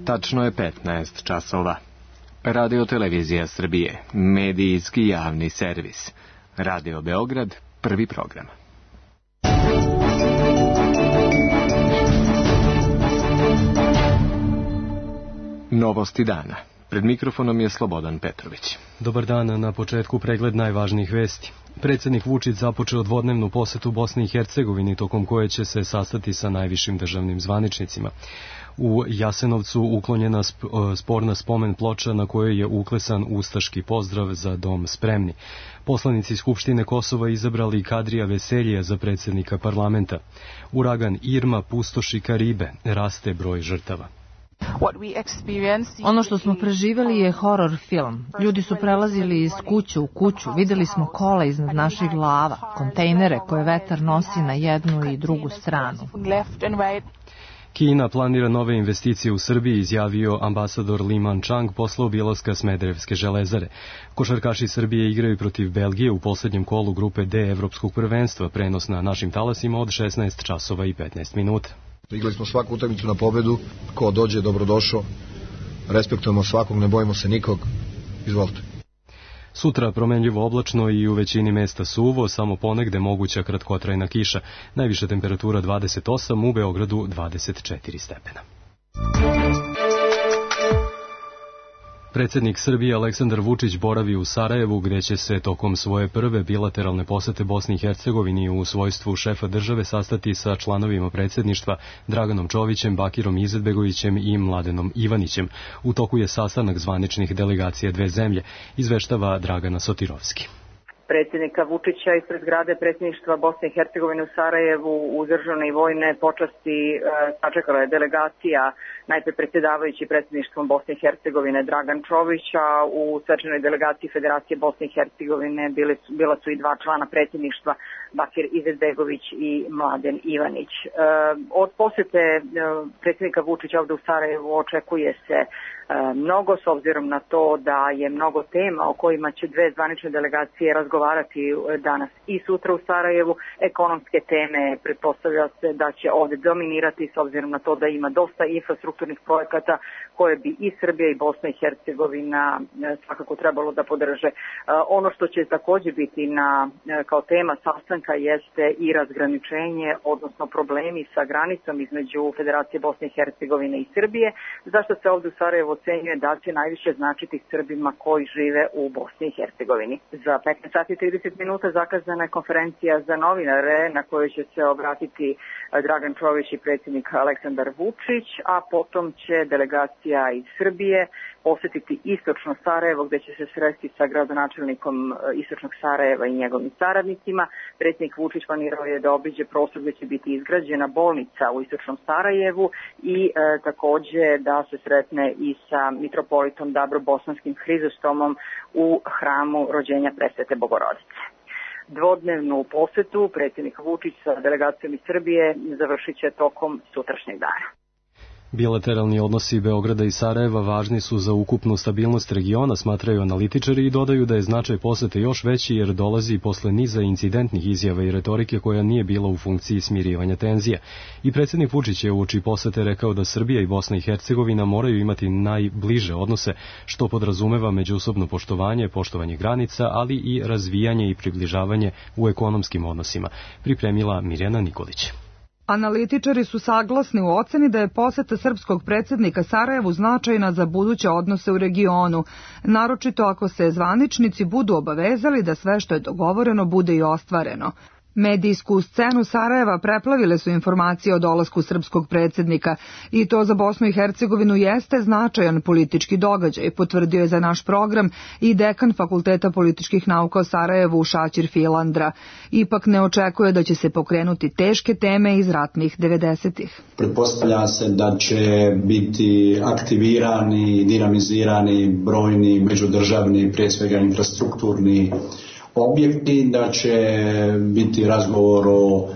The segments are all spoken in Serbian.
Tačno je 15 časova. Radio Televizija Srbije, medijski javni servis. Radio Beograd, prvi program. Novosti dana. Pred mikrofonom je Slobodan Petrović. Dobar dan, na početku pregled najvažnijih vesti. Predsjednik Vučić započeo dvodnevnu posetu Bosni i Hercegovini, tokom koje će se sastati sa najvišim državnim zvaničnicima. U Jasenovcu uklonjena sporna spomen ploča na kojoj je uklesan ustaški pozdrav za dom spremni. Poslanici Skupštine Kosova izabrali Kadrija Veseljija za predsjednika parlamenta. Uragan Irma pustoši Karibe, raste broj žrtava. Ono što smo preživjeli je horor film. Ljudi su prelazili iz kuće u kuću, vidjeli smo kola iznad naših glava, kontejnere koje vetar nosi na jednu i drugu stranu. Kina planira nove investicije u Srbiji, izjavio ambasador Li Manchang posle obilaska Smederevske železare. Košarkaši Srbije igraju protiv Belgije u posljednjem kolu grupe D Evropskog prvenstva, prenos na našim talasima od 16 časova i 15 minuta. Igrali smo svaku utakmicu na pobedu, ko dođe dobrodošao, respektujemo svakog, ne bojimo se nikog, izvolite. Sutra promenljivo oblačno i u većini mesta suvo, samo ponegde moguća kratkotrajna kiša. Najviša temperatura 28, u Beogradu 24 stepena. Predsjednik Srbije Aleksandar Vučić boravi u Sarajevu, gdje će se tokom svoje prve bilateralne posete Bosni i Hercegovini u svojstvu šefa države sastati sa članovima predsjedništva Draganom Čovićem, Bakirom Izetbegovićem i Mladenom Ivanićem. U toku je sastanak zvaničnih delegacija dve zemlje, izveštava Dragana Sotirovski. Predsjednika Vučića ispred zgrade predsjedništva Bosne i Hercegovine u Sarajevu u državne i vojne počasti sačekala je delegacija, najprej predsjedavajući predsjedništvom Bosne i Hercegovine Dragan Čović, a u svečanoj delegaciji Federacije Bosne i Hercegovine bila su i dva člana predsjedništva, Bakir Izetbegović i Mladen Ivanić. Od posjete predsjednika Vučića ovdje u Sarajevu očekuje se mnogo, s obzirom na to da je mnogo tema o kojima će dve zvanične delegacije razgovarati danas i sutra u Sarajevu. Ekonomske teme pretpostavlja se da će ovdje dominirati, s obzirom na to da ima dosta infrastrukturnih projekata koje bi i Srbija i Bosna i Hercegovina svakako trebalo da podrže. Ono što će također biti kao tema sastanka jeste i razgraničenje, odnosno problemi sa granicom između Federacije Bosne i Hercegovine i Srbije, zašto se ovdje u Sarajevu ocenjuje da će najviše značiti Srbima koji žive u Bosni i Hercegovini. Za 15 sati i 30 minuta zakazana je konferencija za novinare na kojoj će se obratiti Dragan Čović i predsjednik Aleksandar Vučić, a potom će delegacija iz Srbije posjetiti istočno Sarajevo, gdje će se sresti sa gradonačelnikom istočnog Sarajeva i njegovim saradnicima. Predsjednik Vučić planirao je da obiđe prostor gdje će biti izgrađena bolnica u istočnom Sarajevu i također da se sretne i sa mitropolitom Dabrobosanskim Hrizostomom u hramu rođenja Presvete Bogorodice. Dvodnevnu posetu predsjednik Vučić sa delegacijom iz Srbije završit će tokom sutrašnjeg dana. Bilateralni odnosi Beograda i Sarajeva važni su za ukupnu stabilnost regiona, smatraju analitičari i dodaju da je značaj posete još veći jer dolazi posle niza incidentnih izjava i retorike koja nije bila u funkciji smirivanja tenzija. I predsjednik Vučić je uoči posete rekao da Srbija i Bosna i Hercegovina moraju imati najbliže odnose, što podrazumeva međusobno poštovanje granica, ali i razvijanje i približavanje u ekonomskim odnosima, pripremila Mirjana Nikolić. Analitičari su saglasni u oceni da je poseta srpskog predsjednika Sarajevu značajna za buduće odnose u regionu, naročito ako se zvaničnici budu obavezali da sve što je dogovoreno bude i ostvareno. Medijsku scenu Sarajeva preplavile su informacije o dolasku srpskog predsjednika i to za Bosnu i Hercegovinu jeste značajan politički događaj, potvrdio je za naš program i dekan Fakulteta političkih nauka u Sarajevu Šaćir Filandra. Ipak ne očekuje da će se pokrenuti teške teme iz ratnih 90-ih. Pretpostavlja se da će biti aktivirani i dinamizirani brojni međudržavni, prije svega infrastrukturni objekti, da će biti razgovor o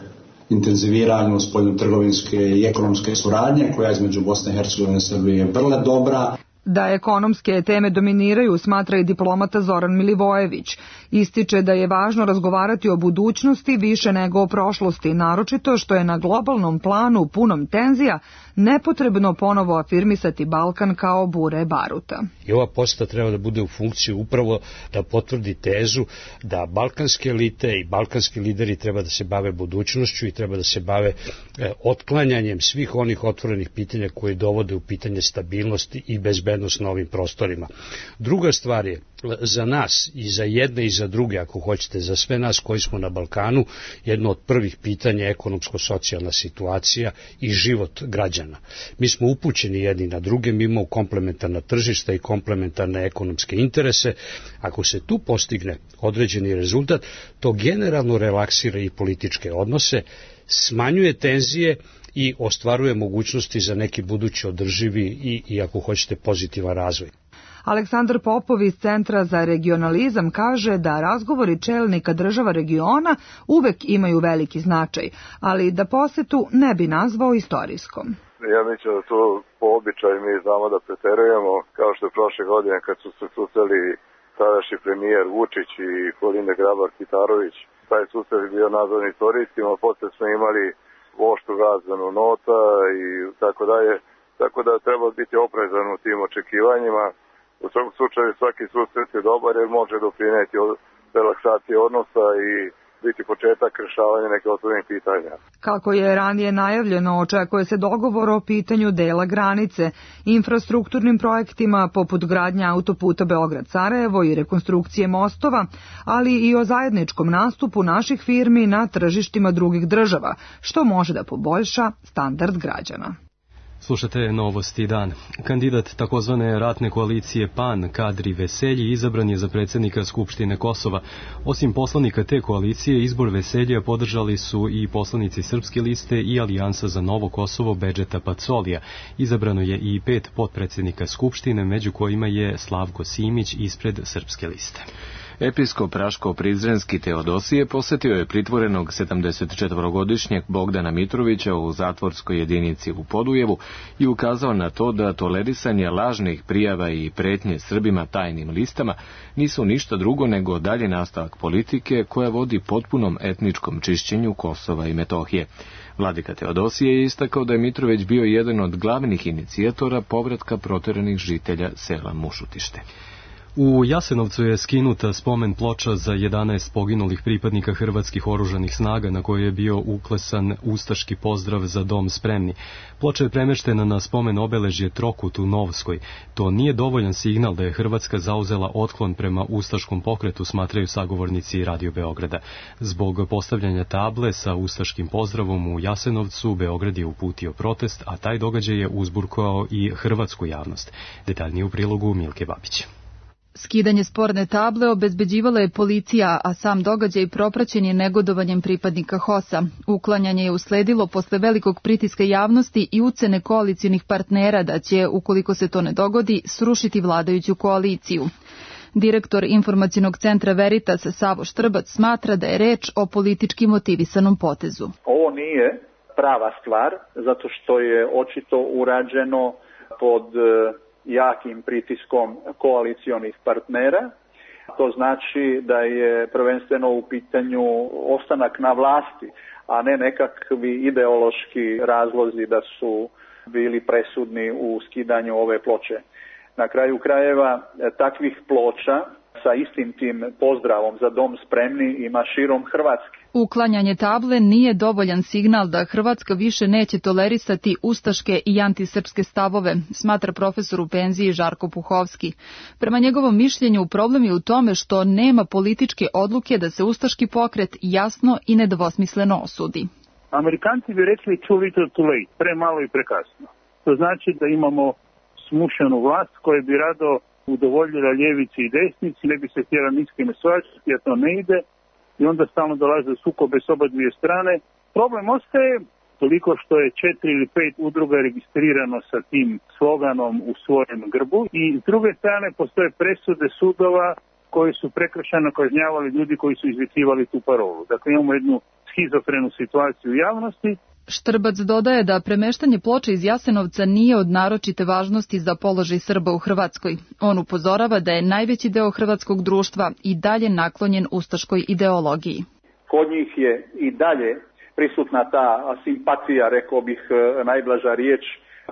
intenziviranju spoljnotrgovinske i ekonomske suradnje koja između Bosne i Hercegovine i Srbije je vrlo dobra. Da ekonomske teme dominiraju, smatra i diplomata Zoran Milivojević. Ističe da je važno razgovarati o budućnosti više nego o prošlosti, naročito što je na globalnom planu punom tenzija nepotrebno ponovo afirmisati Balkan kao bure baruta. I ova poseta treba da bude u funkciji upravo da potvrdi tezu da balkanske elite i balkanski lideri treba da se bave budućnošću i treba da se bave otklanjanjem svih onih otvorenih pitanja koje dovode u pitanje stabilnosti i bezbednost na ovim prostorima. Druga stvar je za nas i za jedne i za druge, ako hoćete, za sve nas koji smo na Balkanu, jedno od prvih pitanja je ekonomsko-socijalna situacija i život građana. Mi smo upućeni jedni na druge, mi imamo komplementarna tržišta i komplementarne ekonomske interese. Ako se tu postigne određeni rezultat, to generalno relaksira i političke odnose, smanjuje tenzije i ostvaruje mogućnosti za neki budući održivi i ako hoćete, pozitivan razvoj. Aleksandar Popov iz Centra za regionalizam kaže da razgovori čelnika država regiona uvek imaju veliki značaj, ali da posetu ne bi nazvao istorijskom. Ja mislim da to po običaju mi znamo da preterujemo, kao što je prošle godine kad su se susreli tadašnji premijer Vučić i Kolinda Grabar-Kitarović. Taj susret je bio nazvan istorijskim, a posle smo imali oštru razmenu nota i tako dalje, tako da treba biti oprezan u tim očekivanjima. U svakom slučaju svaki susret je dobar jer može doprineti relaksacije odnosa i biti početak rešavanja neke otvorenih pitanja. Kako je ranije najavljeno, očekuje se dogovor o pitanju dela granice, infrastrukturnim projektima poput gradnja autoputa Beograd-Sarajevo i rekonstrukcije mostova, ali i o zajedničkom nastupu naših firmi na tržištima drugih država, što može da poboljša standard građana. Slušate Novosti dan. Kandidat takozvane ratne koalicije PAN, Kadri Veselji, izabran je za predsjednika Skupštine Kosova. Osim poslanika te koalicije, izbor Veseljija podržali su i poslanici Srpske liste i Alijansa za Novo Kosovo Bedžeta Pacolija. Izabrano je i 5 potpredsjednika Skupštine, među kojima je Slavko Simić ispred Srpske liste. Episkop Raško-Prizrenski Teodosije posjetio je pritvorenog 74-godišnjeg Bogdana Mitrovića u zatvorskoj jedinici u Podujevu i ukazao na to da tolerisanje lažnih prijava i pretnje Srbima tajnim listama nisu ništa drugo nego dalje nastavak politike koja vodi potpunom etničkom čišćenju Kosova i Metohije. Vladika Teodosije je istakao da je Mitrović bio jedan od glavnih inicijatora povratka proteranih žitelja sela Mušutište. U Jasenovcu je skinuta spomen ploča za 11 poginulih pripadnika hrvatskih oružanih snaga na kojoj je bio uklesan ustaški pozdrav za dom spremni. Ploča je premeštena na spomen obeležje Trokut u Novskoj. To nije dovoljan signal da je Hrvatska zauzela otklon prema ustaškom pokretu, smatraju sagovornici Radio Beograda. Zbog postavljanja table sa ustaškim pozdravom u Jasenovcu, Beograd je uputio protest, a taj događaj je uzburkao i hrvatsku javnost. Detaljnije u prilogu Milke Babić. Skidanje sporne table obezbeđivala je policija, a sam događaj propraćen je negodovanjem pripadnika HOS-a. Uklanjanje je usledilo posle velikog pritiska javnosti i ucene koalicionih partnera da će, ukoliko se to ne dogodi, srušiti vladajuću koaliciju. Direktor informacionog centra Veritas Savo Štrbac smatra da je reč o politički motivisanom potezu. Ovo nije prava stvar, zato što je očito urađeno pod jakim pritiskom koalicionih partnera. To znači da je prvenstveno u pitanju ostanak na vlasti, a ne nekakvi ideološki razlozi da su bili presudni u skidanju ove ploče. Na kraju krajeva takvih ploča sa istim tim pozdravom za dom spremni ima širom Hrvatske. Uklanjanje table nije dovoljan signal da Hrvatska više neće tolerisati ustaške i antisrpske stavove, smatra profesor u penziji Žarko Puhovski. Prema njegovom mišljenju, problem je u tome što nema političke odluke da se ustaški pokret jasno i nedvosmisleno osudi. Amerikanci bi rekli too little too late, premalo i prekasno. To znači da imamo smušenu vlast koja bi rado udovoljila ljevici i desnici, ne bi se htjela niskime svađati, a to ne ide, i onda stalno dolaze sukobe s oba dvije strane. Problem ostaje toliko što je 4 ili 5 udruga registrirano sa tim sloganom u svojem grbu i s druge strane postoje presude sudova koji su prekršajno kažnjavali ljudi koji su izvikivali tu parolu. Dakle, imamo jednu schizofrenu situaciju u javnosti. Štrbac dodaje da premeštanje ploče iz Jasenovca nije od naročite važnosti za položaj Srba u Hrvatskoj. On upozorava da je najveći deo hrvatskog društva i dalje naklonjen ustaškoj ideologiji. Kod njih je i dalje prisutna ta simpatija, rekao bih najblaža riječ,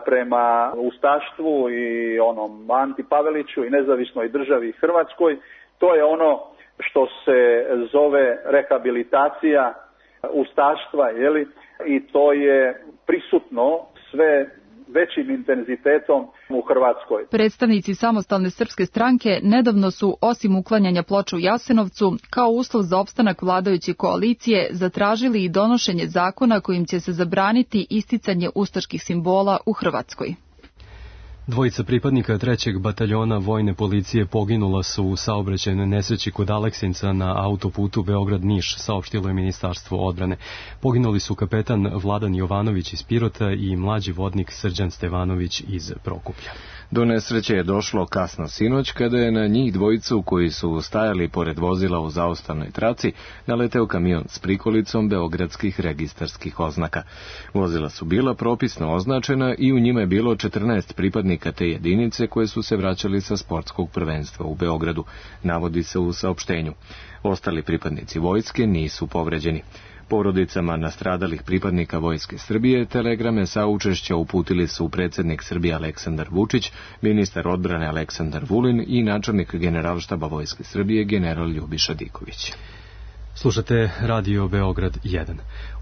prema ustaštvu i onom Anti Paveliću i nezavisnoj državi Hrvatskoj. To je ono što se zove rehabilitacija ustaštva, jeli? I to je prisutno sve većim intenzitetom u Hrvatskoj. Predstavnici Samostalne srpske stranke nedavno su, osim uklanjanja ploča u Jasenovcu, kao uslov za opstanak vladajuće koalicije, zatražili i donošenje zakona kojim će se zabraniti isticanje ustaških simbola u Hrvatskoj. Dvojica pripadnika 3. bataljona vojne policije poginula su u saobraćajnoj nesreći kod Aleksinca na autoputu Beograd-Niš, saopštilo je Ministarstvo odbrane. Poginuli su kapetan Vladan Jovanović iz Pirota i mlađi vodnik Srđan Stevanović iz Prokuplja. Do nesreće je došlo kasno sinoć kada je na njih dvojicu koji su stajali pored vozila u zaustavnoj traci naleteo kamion s prikolicom beogradskih registarskih oznaka. Vozila su bila propisno označena i u njima je bilo 14 pripadnika te jedinice koje su se vraćali sa sportskog prvenstva u Beogradu, navodi se u saopštenju. Ostali pripadnici vojske nisu povređeni. Porodicama nastradalih pripadnika Vojske Srbije telegrame saučešća uputili su predsjednik Srbije Aleksandar Vučić, ministar odbrane Aleksandar Vulin i načelnik Generalštaba Vojske Srbije general Ljubiša Diković. Slušate Radio Beograd 1.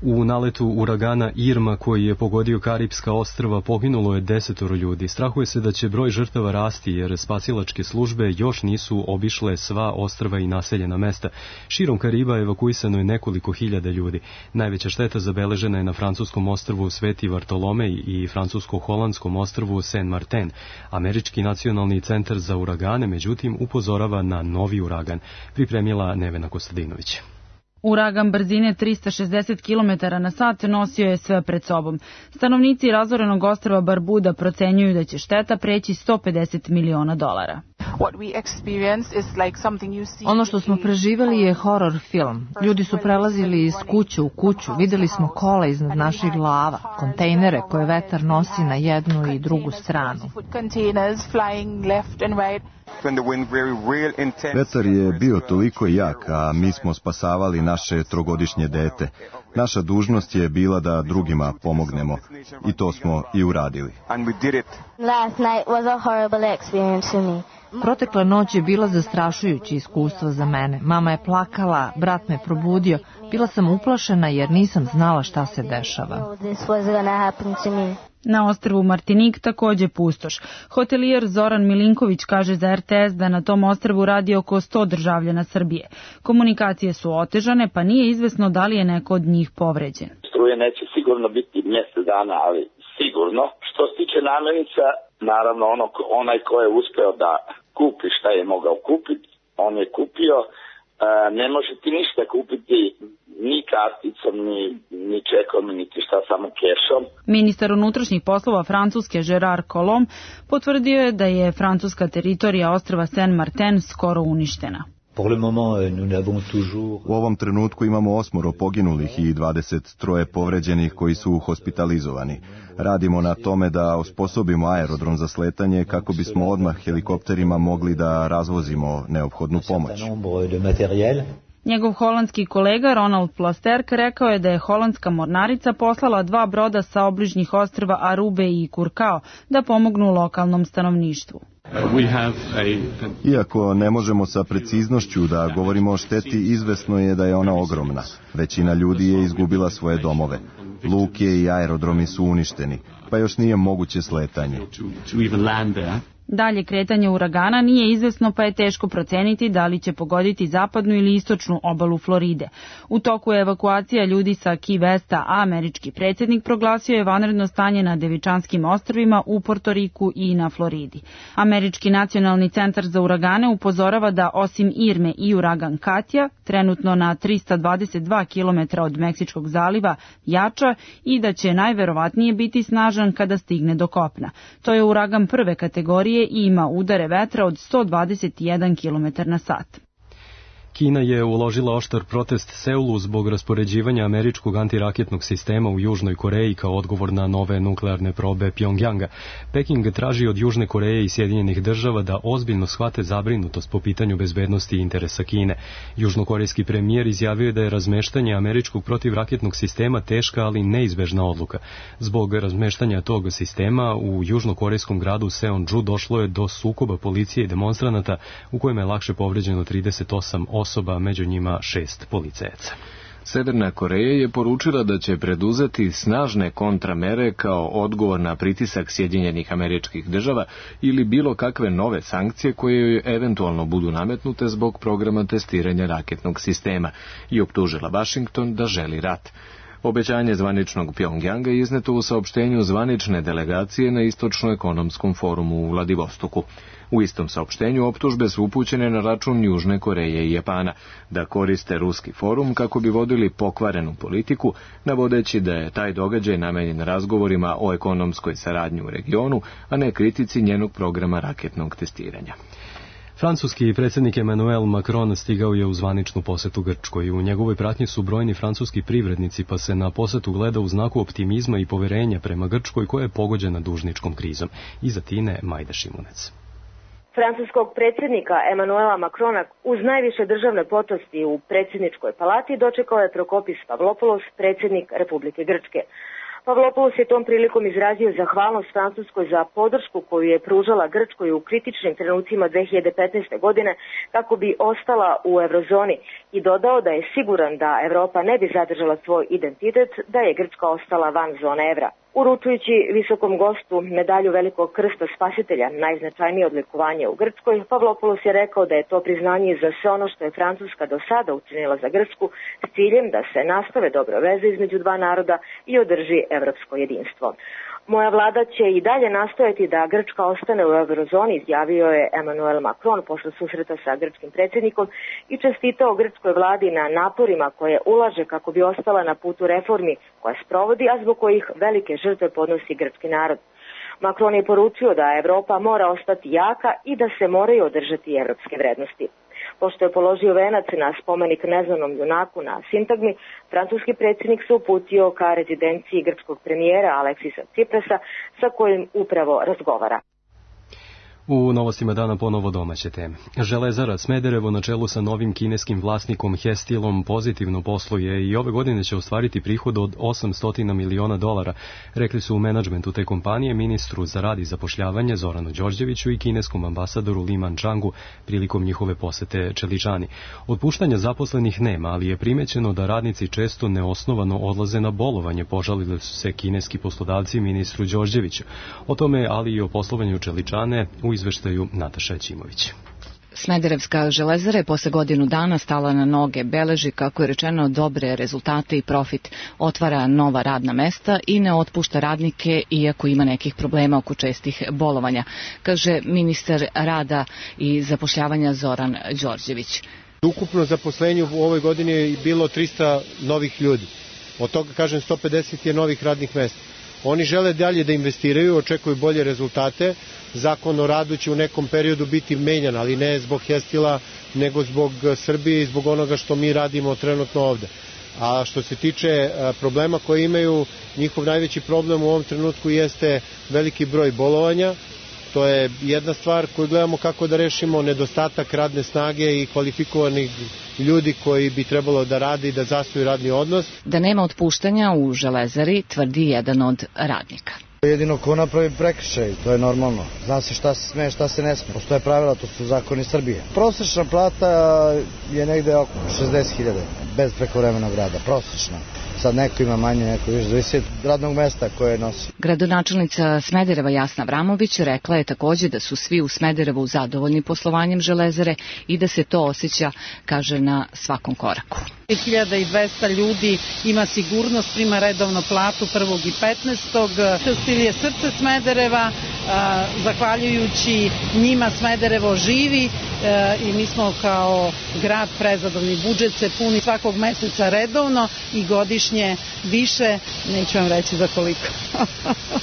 U naletu uragana Irma koji je pogodio Karipska ostrva poginulo je 10 ljudi. Strahuje se da će broj žrtava rasti jer spasilačke službe još nisu obišle sva ostrva i naseljena mesta. Širom Kariba evakuisano je nekoliko hiljada ljudi. Najveća šteta zabeležena je na francuskom ostrvu Sveti Vartolomej i francusko-holandskom ostrvu Saint Martin. Američki nacionalni centar za uragane, međutim, upozorava na novi uragan. Pripremila Nevena Kostadinović. Uragan brzine 360 km na sat nosio je sve pred sobom. Stanovnici razorenog ostrva Barbuda procenjuju da će šteta preći $150 miliona. Ono što smo preživeli je horor film. Ljudi su prelazili iz kuće u kuću, videli smo kola iznad naših glava, kontejnere koje vetar nosi na jednu i drugu stranu. Vetar je bio toliko jak, a mi smo spasavali naše trogodišnje dete. Naša dužnost je bila da drugima pomognemo i to smo i uradili. Protekla noć je bila zastrašujuće iskustvo za mene. Mama je plakala, brat me probudio. Bila sam uplašena jer nisam znala šta se dešava. Na ostrvu Martinik takođe pustoš. Hotelijer Zoran Milinković kaže za RTS da na tom ostrvu radi oko 100 državljana Srbije. Komunikacije su otežane, pa nije izvesno da li je neko od njih povređen. Struje neće sigurno biti mjesec dana, ali sigurno. Što se tiče namirnica, naravno onaj ko je uspeo da kupi šta je mogao kupiti, on je kupio. Ne može ti ništa kupiti ni karticom, ni čekom, niti šta, samo kešom. Ministar unutrašnjih poslova Francuske Gérard Collomb potvrdio je da je francuska teritorija ostrva Saint Martin skoro uništena. U ovom trenutku imamo 8 poginulih i 23 povređenih koji su hospitalizovani. Radimo na tome da osposobimo aerodrom za sletanje kako bismo odmah helikopterima mogli da razvozimo neophodnu pomoć. Njegov holandski kolega Ronald Plasterk rekao je da je holandska mornarica poslala 2 broda sa obližnjih ostrva Arube i Curacao da pomognu lokalnom stanovništvu. Iako ne možemo sa preciznošću da govorimo o šteti, izvesno je da je ona ogromna. Većina ljudi je izgubila svoje domove. Luke i aerodromi su uništeni, pa još nije moguće sletanje. Dalje kretanje uragana nije izvesno, pa je teško proceniti da li će pogoditi zapadnu ili istočnu obalu Floride. U toku je evakuacija ljudi sa Key Westa, a američki predsjednik proglasio je vanredno stanje na Devičanskim ostrvima, u Portoriku i na Floridi. Američki nacionalni centar za uragane upozorava da osim Irme i uragan Katja, trenutno na 322 km od Meksičkog zaliva, jača i da će najverovatnije biti snažan kada stigne do kopna. To je uragan prve kategorije i ima udare vetra od 121 km na sat. Kina je uložila oštar protest Seulu zbog raspoređivanja američkog antiraketnog sistema u Južnoj Koreji kao odgovor na nove nuklearne probe Pjongjanga. Peking traži od Južne Koreje i Sjedinjenih država da ozbiljno shvate zabrinutost po pitanju bezbednosti i interesa Kine. Južnokorejski premijer izjavio je da je razmeštanje američkog protivraketnog sistema teška, ali neizbežna odluka. Zbog razmeštanja tog sistema u južnokorejskom gradu Seonju došlo je do sukoba policije i demonstranata u kojem je lakše povređeno 38 osoba, među njima 6 policajaca. Severna Koreja je poručila da će preduzeti snažne kontramere kao odgovor na pritisak Sjedinjenih Američkih Država ili bilo kakve nove sankcije koje joj eventualno budu nametnute zbog programa testiranja raketnog sistema i optužila Washington da želi rat. Obećanje zvaničnog Pjongjanga je izneto u saopštenju zvanične delegacije na Istočno-ekonomskom forumu u Vladivostoku. U istom saopštenju optužbe su upućene na račun Južne Koreje i Japana da koriste ruski forum kako bi vodili pokvarenu politiku, navodeći da je taj događaj namenjen razgovorima o ekonomskoj saradnji u regionu, a ne kritici njenog programa raketnog testiranja. Francuski predsjednik Emmanuel Macron stigao je u zvaničnu posetu Grčkoj. U njegovoj pratnji su brojni francuski privrednici, pa se na posetu gleda u znaku optimizma i poverenja prema Grčkoj koja je pogođena dužničkom krizom. Iza Tine Majda Šimunec. Francuskog predsjednika Emmanuela Macrona uz najviše državne počasti u predsjedničkoj palati dočekao je Prokopis Pavlopoulos, predsjednik Republike Grčke. Pavlopoulos je tom prilikom izrazio zahvalnost Francuskoj za podršku koju je pružala Grčkoj u kritičnim trenucima 2015. godine kako bi ostala u eurozoni i dodao da je siguran da Evropa ne bi zadržala svoj identitet da je Grčka ostala van zone evra. Uručujući visokom gostu medalju Velikog krsta spasitelja, najznačajnije odlikovanje u Grčkoj, Pavlopoulos je rekao da je to priznanje za sve ono što je Francuska do sada učinila za Grčku s ciljem da se nastave dobre veze između dva naroda i održi evropsko jedinstvo. Moja vlada će i dalje nastojati da Grčka ostane u eurozoni, izjavio je Emmanuel Macron posle susreta sa grčkim predsjednikom i čestitao grčkoj vladi na naporima koje ulaže kako bi ostala na putu reformi koje sprovodi, a zbog kojih velike žrtve podnosi grčki narod. Macron je poručio da Evropa mora ostati jaka i da se moraju održati evropske vrednosti. Pošto je položio venac na spomenik neznanom junaku na sintagmi, francuski predsjednik se uputio ka rezidenciji grčkog premijera Aleksisa Tsiprasa sa kojim upravo razgovara. U novostima dana ponovo domaće teme. Železara Smederevo na čelu sa novim kineskim vlasnikom Hestilom pozitivno posluje i ove godine će ostvariti prihod od $800 miliona, rekli su u menadžmentu te kompanije ministru za rad i zapošljavanje Zoranu Đorđeviću i kineskom ambasadoru Li Mančangu prilikom njihove posete Čeličani. Otpuštanja zaposlenih nema, ali je primećeno da radnici često neosnovano odlaze na bolovanje, požalili su se kineski poslodavci ministru Đorđeviću. O tome, ali i o poslovanju Čeličane u izveštaju Nataša Ćimović. Smederevska železara je posle godinu dana stala na noge, beleži, kako je rečeno, dobre rezultate i profit, otvara nova radna mesta i ne otpušta radnike iako ima nekih problema oko čestih bolovanja, kaže ministar rada i zapošljavanja Zoran Đorđević. Ukupno zaposlenje u ovoj godini je bilo 300 novih ljudi, od toga, kažem, 150 je novih radnih mesta. Oni žele dalje da investiraju, očekuju bolje rezultate. Zakon o radu će u nekom periodu biti menjan, ali ne zbog Hestila, nego zbog Srbije i zbog onoga što mi radimo trenutno ovde. A što se tiče problema koje imaju, njihov najveći problem u ovom trenutku jeste veliki broj bolovanja. To je jedna stvar koju gledamo kako da rešimo, nedostatak radne snage i kvalifikovanih ljudi koji bi trebalo da radi i da zasnuju radni odnos. Da nema otpuštanja u železari, tvrdi jedan od radnika. Jedino ko napravi prekršaj, to je normalno. Zna se šta se sme, šta se ne sme. Postoje pravila, to su zakoni Srbije. Prosečna plata je negde oko 60.000, bez prekovremenog rada, prosečna. Sad neko ima manje, neko više, zavisi od radnog mesta koje nosi. Gradonačelnica Smedereva Jasna Vramović rekla je takođe da su svi u Smederevu zadovoljni poslovanjem železare i da se to osjeća, kaže, na svakom koraku. 1200 ljudi ima sigurnost, prima redovno platu 1. i 15. Hestil je srce Smedereva, zahvaljujući njima Smederevo živi i mi smo kao grad prezadovoljni. Budžet se puni svakog meseca redovno i godišnje više, neću vam reći za koliko.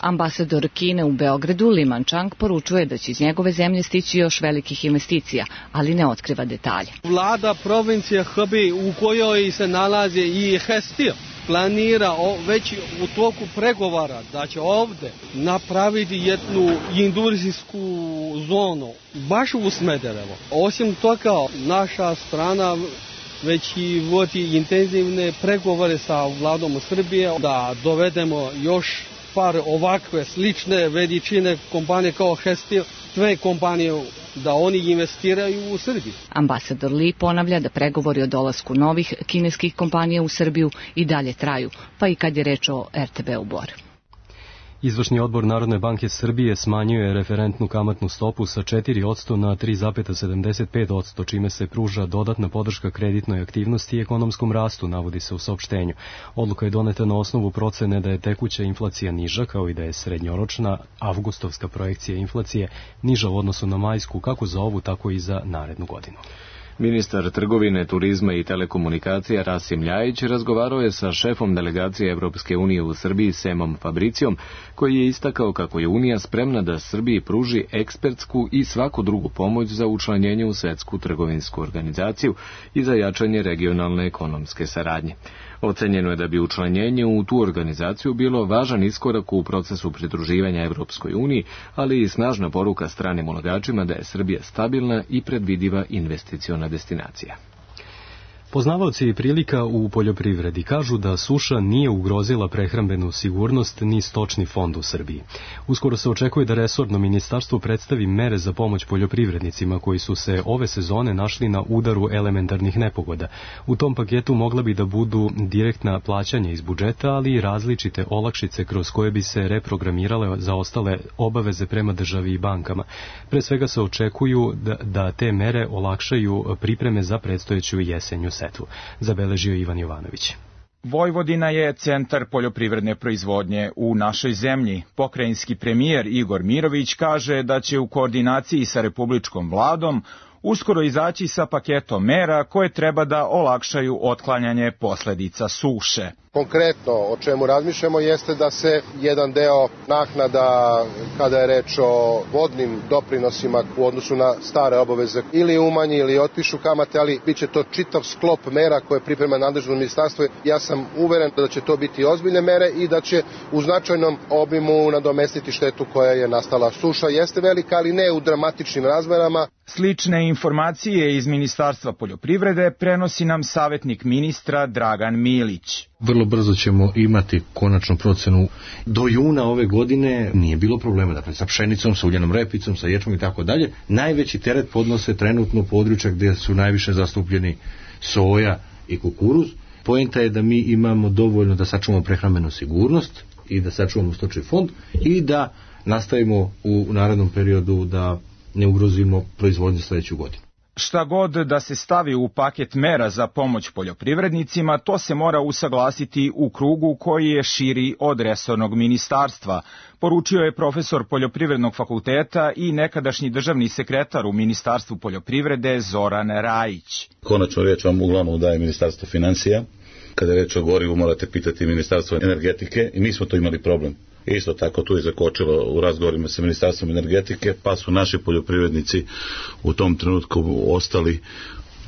Ambasador Kine u Beogradu, Li Manchang, poručuje da će iz njegove zemlje stići još velikih investicija, ali ne otkriva detalje. Vlada provincije Hebei u kojoj se nalazi i Hestil planira već u toku pregovara da će ovde napraviti jednu industrijsku zonu baš u Smederevo. Osim toga, naša strana već i vodi intenzivne pregovore sa vladom Srbije da dovedemo još par ovakve slične veličine kompanije kao Hestil, sve kompanije da oni investiraju u Srbiji. Ambasador Li ponavlja da pregovori o dolasku novih kineskih kompanija u Srbiju i dalje traju, pa i kad je reč o RTB-u Bor. Izvršni odbor Narodne banke Srbije smanjio je referentnu kamatnu stopu sa 4% na 3,75%, čime se pruža dodatna podrška kreditnoj aktivnosti i ekonomskom rastu, navodi se u saopštenju. Odluka je doneta na osnovu procene da je tekuća inflacija niža, kao i da je srednjoročna avgustovska projekcija inflacije niža u odnosu na majsku, kako za ovu, tako i za narednu godinu. Ministar trgovine, turizma i telekomunikacija Rasim Ljajić razgovarao je sa šefom delegacije Evropske unije u Srbiji Semom Fabricijom, koji je istakao kako je Unija spremna da Srbiji pruži ekspertsku i svaku drugu pomoć za učlanjenje u Svetsku trgovinsku organizaciju i za jačanje regionalne ekonomske saradnje. Ocenjeno je da bi učlanjenje u tu organizaciju bilo važan iskorak u procesu pridruživanja Evropskoj uniji, ali i snažna poruka stranim ulagačima da je Srbija stabilna i predvidiva investiciona destinacija. Poznavaoci prilika u poljoprivredi kažu da suša nije ugrozila prehrambenu sigurnost ni stočni fond u Srbiji. Uskoro se očekuje da resorno ministarstvo predstavi mere za pomoć poljoprivrednicima koji su se ove sezone našli na udaru elementarnih nepogoda. U tom paketu mogla bi da budu direktna plaćanja iz budžeta, ali i različite olakšice kroz koje bi se reprogramirale za ostale obaveze prema državi i bankama. Pre svega se očekuju da te mere olakšaju pripreme za predstojeću jesenju setvu, zabeležio Ivan Jovanović. Vojvodina je centar poljoprivredne proizvodnje u našoj zemlji. Pokrajinski premijer Igor Mirović kaže da će u koordinaciji sa republičkom vladom uskoro izaći sa paketom mera koje treba da olakšaju otklanjanje posledica suše. Konkretno o čemu razmišljamo jeste da se jedan deo naknada kada je reč o vodnim doprinosima u odnosu na stare obaveze ili umanji ili otpišu kamate, ali bit će to čitav sklop mera koje priprema nadležno ministarstvo. Ja sam uveren da će to biti ozbiljne mere i da će u značajnom obimu nadomestiti štetu koja je nastala. Suša jeste velika, ali ne u dramatičnim razmerama. Slične informacije iz Ministarstva poljoprivrede prenosi nam savjetnik ministra Dragan Milić. Vrlo brzo ćemo imati konačnu procenu. Do juna ove godine nije bilo problema, dakle sa pšenicom, sa uljenom repicom, sa ječmom i tako dalje. Najveći teret podnose trenutno područja gdje su najviše zastupljeni soja i kukuruz. Poenta je da mi imamo dovoljno da sačuvamo prehrambenu sigurnost i da sačuvamo stočni fond i da nastavimo u narednom periodu da ne ugrozimo proizvodnju sledeću godinu. Šta god da se stavi u paket mera za pomoć poljoprivrednicima, to se mora usaglasiti u krugu koji je širi od resornog ministarstva, poručio je profesor Poljoprivrednog fakulteta i nekadašnji državni sekretar u Ministarstvu poljoprivrede Zoran Rajić. Konačno riječ vam uglavnom daje Ministarstvo financija. Kada je reč o gorivu morate pitati Ministarstvo energetike i mi smo to imali problem. Isto tako tu je zakočilo u razgovorima sa Ministarstvom energetike, pa su naši poljoprivrednici u tom trenutku ostali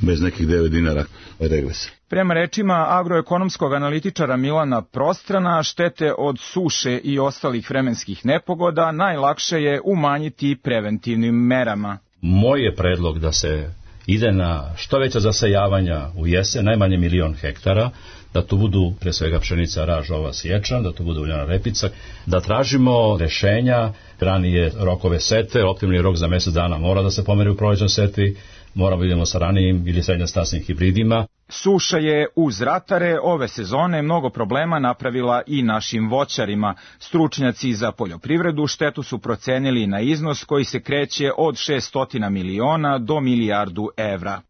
bez nekih 9 dinara regresa. Prema rečima agroekonomskog analitičara Milana Prostrana, štete od suše i ostalih vremenskih nepogoda najlakše je umanjiti preventivnim merama. Moj je predlog da se ide na što veća zasajavanja u jesen, najmanje 1.000.000 hektara, da to budu pre svega pšenica, raž, ovas, ječam, da to bude uljana repica, da tražimo rešenja, ranije rokove sete, optimalni rok za mjesec dana mora da se pomeri u prolećnoj setvi, moramo vidimo sa ranijim ili srednjostasnim hibridima. Suša je uz ratare ove sezone mnogo problema napravila i našim voćarima. Stručnjaci za poljoprivredu štetu su procenili na iznos koji se kreće od 600 miliona do milijardu evra.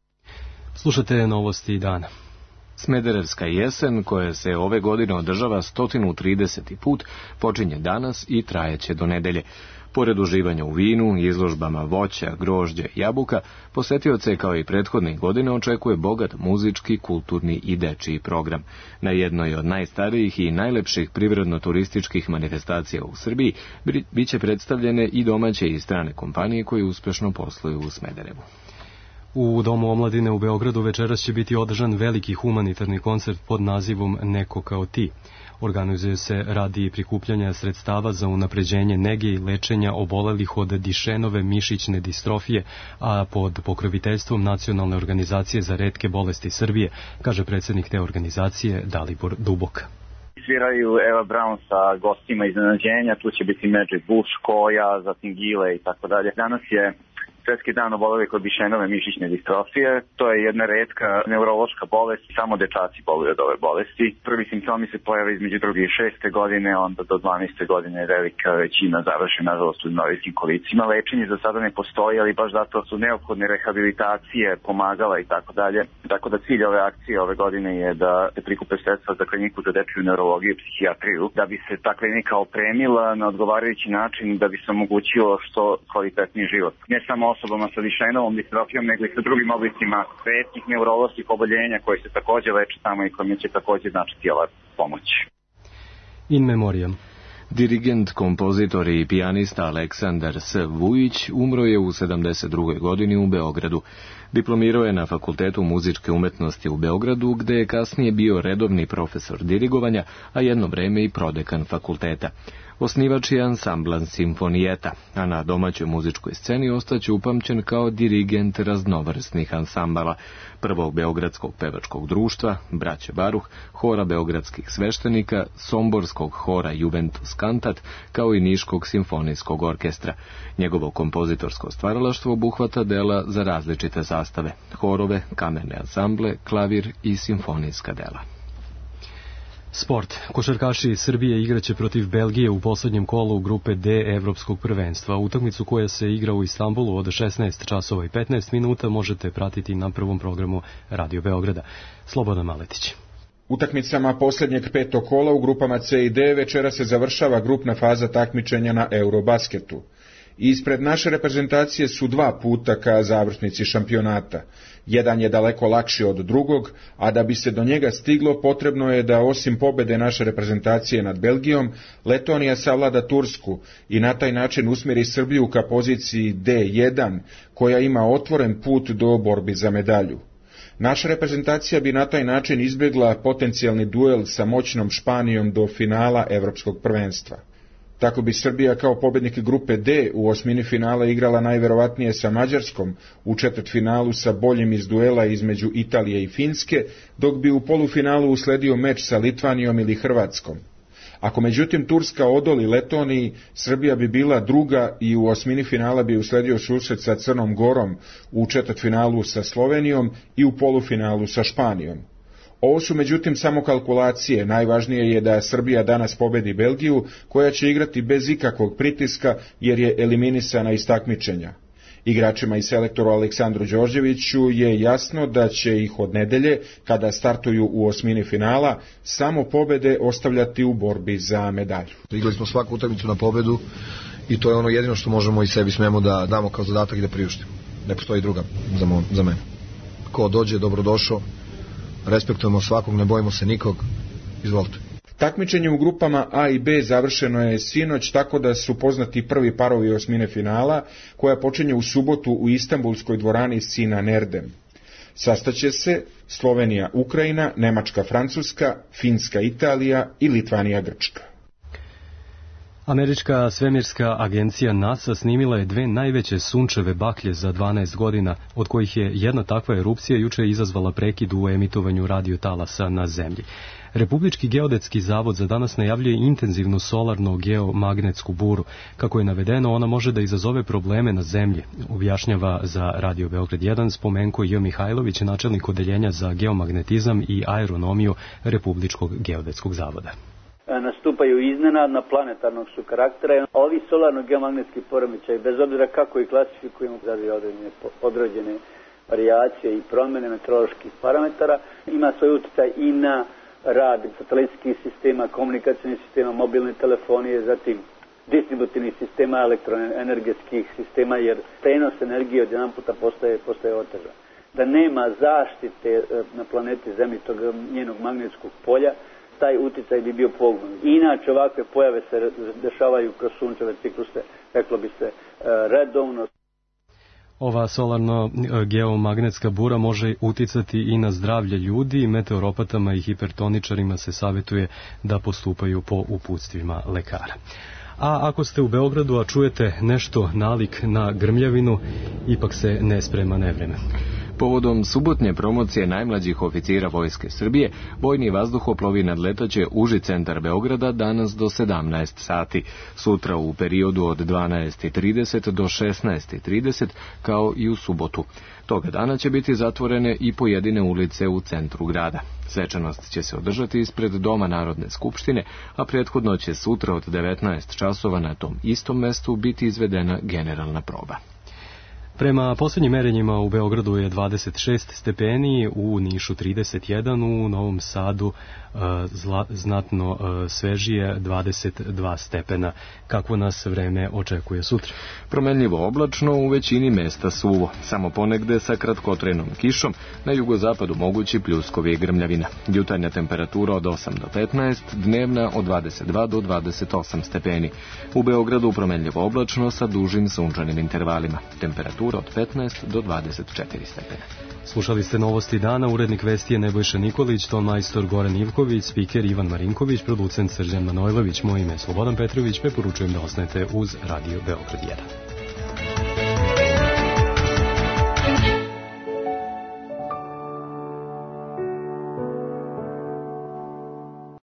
Slušate novosti dana. Smederevska jesen, koja se ove godine održava 130. put, počinje danas i trajeće do nedelje. Pored uživanja u vinu, izložbama voća, grožđa i jabuka, posetioce kao i prethodnih godina očekuje bogat muzički, kulturni i dečiji program. Na jednoj od najstarijih i najlepših privredno-turističkih manifestacija u Srbiji biće predstavljene i domaće i strane kompanije koje uspešno posluju u Smederevu. U Domu omladine u Beogradu večeras će biti održan veliki humanitarni koncert pod nazivom Neko kao ti. Organizuje se radi prikupljanja sredstava za unapređenje nege i lečenja obolelih od Dišenove mišićne distrofije, a pod pokroviteljstvom Nacionalne organizacije za retke bolesti Srbije, kaže predsjednik te organizacije Dalibor Dubok. Sviraju Eva Brown sa gostima iznenađenja, tu će biti Magic Bush, Koja, zatim Gile i tako dalje. Danas je Svetski dan obolelih od Dišenove mišićne distrofije. To je jedna retka neurološka bolest, samo dečaci boluju od ove bolesti. Prvi simptomi se pojave između 2. i 6. godine, onda do 12. godine velika većina završi nažalost u invalidskim kolicima. Lečenje za sada ne postoji, ali baš zato su neophodne rehabilitacije, pomagala i tako dalje. Tako da cilj ove akcije ove godine je da se prikupe sredstva za kliniku za dečiju neurologiju i psihijatriju, da bi se ta klinika opremila na odgovarajući način, da bi se omogućilo što kvalitetniji život. Ne samo osobama sa Dišenovom distrofijom, nego i sa drugim oblicima retkih neuroloških oboljenja koji se također leče tamo i kojima će također značiti ova pomoć. In memoriam. Dirigent, kompozitor i pijanista Aleksandar S. Vujić umro je u 72. godini u Beogradu. Diplomirao je na Fakultetu muzičke umetnosti u Beogradu, gde je kasnije bio redovni profesor dirigovanja, a jedno vreme i prodekan fakulteta. Osnivač je ansambla Simfonijeta, a na domaćoj muzičkoj sceni ostaće upamćen kao dirigent raznovrsnih ansambala, prvog beogradskog pevačkog društva, braće Baruh, hora beogradskih sveštenika, somborskog hora Juventus Cantat, kao i niškog simfonijskog orkestra. Njegovo kompozitorsko stvaralaštvo obuhvata dela za različite sastave, horove, kamerne ansamble, klavir i simfonijska dela. Sport. Košarkaši Srbije igraće protiv Belgije u poslednjem kolu grupe D Evropskog prvenstva. Utakmicu koja se igra u Istanbulu od 16 časova i 15 minuta možete pratiti na prvom programu Radio Beograda. Slobodan Maletić. Utakmicama posljednjeg petog kola u grupama C i D večera se završava grupna faza takmičenja na Eurobasketu. Ispred naše reprezentacije su 2 puta ka završnici šampionata. Jedan je daleko lakši od drugog, a da bi se do njega stiglo potrebno je da osim pobede naše reprezentacije nad Belgijom, Letonija savlada Tursku i na taj način usmjeri Srbiju ka poziciji D1, koja ima otvoren put do borbi za medalju. Naša reprezentacija bi na taj način izbjegla potencijalni duel sa moćnom Španijom do finala Evropskog prvenstva. Tako bi Srbija kao pobjednik grupe D u osmini finala igrala najverovatnije sa Mađarskom, u četvrtfinalu sa boljim iz duela između Italije i Finske, dok bi u polufinalu usledio meč sa Litvanijom ili Hrvatskom. Ako međutim Turska odoli Letoniji, Srbija bi bila druga i u osmini finala bi usledio susret sa Crnom Gorom, u četvrtfinalu sa Slovenijom i u polufinalu sa Španijom. Ovo su međutim samo kalkulacije, najvažnije je da Srbija danas pobedi Belgiju, koja će igrati bez ikakvog pritiska jer je eliminisana iz takmičenja. Igračima i selektoru Aleksandru Đorđeviću je jasno da će ih od nedelje, kada startuju u osmini finala, samo pobede ostavljati u borbi za medalju. Igrali smo svaku utakmicu na pobedu i to je ono jedino što možemo i sebi smemo da damo kao zadatak i da priuštimo. Ne postoji druga za mene. Ko dođe, dobrodošao. Respektujemo svakog, ne bojimo se nikog. Izvolite. Takmičenje u grupama A i B završeno je sinoć, tako da su poznati prvi parovi osmine finala, koja počinje u subotu u Istanbulskoj dvorani Sinan Erdem. Sastaće se Slovenija Ukrajina, Nemačka Francuska, Finska Italija i Litvanija Grčka. Američka svemirska agencija NASA snimila je 2 najveće sunčeve baklje za 12 godina, od kojih je jedna takva erupcija juče izazvala prekid u emitovanju radiotalasa na Zemlji. Republički geodetski zavod za danas najavljuje intenzivnu solarno-geomagnetsku buru. Kako je navedeno, ona može da izazove probleme na Zemlji, objašnjava za Radio Beograd 1 Spomenko J. Mihajlović, načelnik odeljenja za geomagnetizam i aeronomiju Republičkog geodetskog zavoda. Nastupaju iznenadna, planetarnog su karaktera. Ovi solarno-geomagnetski poremećaji, bez obzira kako ih klasifikujemo, određene varijacije i promjene meteoroloških parametara, ima svoj utjecaj i na rad satelitskih sistema, komunikacijnih sistema, mobilne telefonije, zatim distributivnih sistema, elektroenergetskih sistema, jer prenos energije od jedan puta postaje otežan. Da nema zaštite na planeti Zemlji tog njenog magnetskog polja, taj utjecaj bi bio poguban. Inače, ovakve pojave se dešavaju kroz sunčeve cikluse, reklo bi se, redovno. Ova solarno-geomagnetska bura može uticati i na zdravlje ljudi. Meteoropatama i hipertoničarima se savjetuje da postupaju po uputstvima lekara. A ako ste u Beogradu, a čujete nešto nalik na grmljavinu, ipak se ne sprema nevreme. Povodom subotnje promocije najmlađih oficira Vojske Srbije, vojni vazduhoplovi nadletaće uži centar Beograda danas do 17 sati, sutra u periodu od 12:30 do 16:30, kao i u subotu. Toga dana će biti zatvorene i pojedine ulice u centru grada. Svečanost će se održati ispred Doma Narodne skupštine, a prethodno će sutra od 19 časova na tom istom mestu biti izvedena generalna proba. Prema posljednjim merenjima u Beogradu je 26 stepeni, u Nišu 31, u Novom Sadu znatno svežije 22 stepena. Kakvo nas vreme očekuje sutra? Promenljivo oblačno, u većini mesta suvo, samo ponegde sa kratkotrenom kišom, na jugozapadu mogući pljuskovi i grmljavina. Jutarnja temperatura od 8 do 15, dnevna od 22 do 28 stepeni. U Beogradu promenljivo oblačno sa dužim sunčanim intervalima. Temperatura od 15 do 24 stepena. Slušali ste novosti dana, urednik vesti je Nebojša Nikolić, ton majstor Goran Ivković, spiker Ivan Marinković, producent Srđan Manojlović, moje ime je Slobodan Petrović, preporučujem da ostanete uz Radio Beograd 1.